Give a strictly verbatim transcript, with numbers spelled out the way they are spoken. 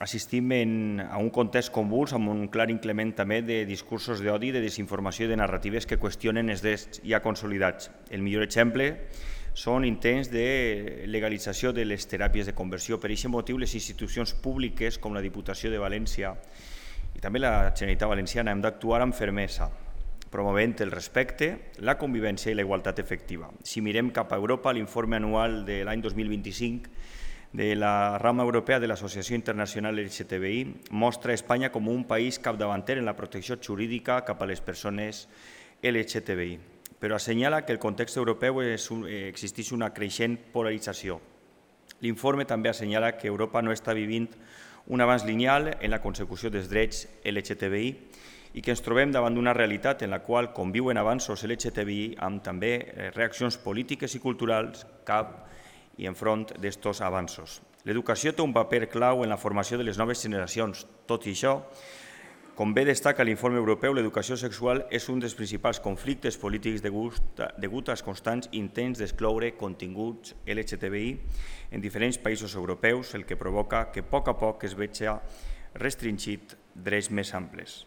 assistim a un context convuls amb un clar increment també de discursos d'odi, de desinformació i de narratives que qüestionen els drets ja consolidats. El millor exemple són intents de legalització de les teràpies de conversió. Per aquest motiu, les institucions públiques com la Diputació de València i també la Generalitat Valenciana hem d'actuar amb fermesa, promovent el respecte, la convivència i la igualtat efectiva. Si mirem cap a Europa, l'informe anual de l'any dos mil vint-i-cinc de la rama europea de l'Associació Internacional L G T B I mostra Espanya com un país capdavanter en la protecció jurídica cap a les persones L G T B I, però assenyala que el context europeu existeix una creixent polarització. L'informe també assenyala que Europa no està vivint un avanç lineal en la consecució dels drets L G T B I i que ens trobem davant d'una realitat en la qual conviuen avanços L G T B I amb també reaccions polítiques i culturals cap i enfront d'estos avanços. L'educació té un paper clau en la formació de les noves generacions. Tot i això, com bé destaca l'informe europeu, l'educació sexual és un dels principals conflictes polítics degut als constants intents d'excloure continguts L G T B I en diferents països europeus, el que provoca que a poc a poc es vegi restringit drets més amples.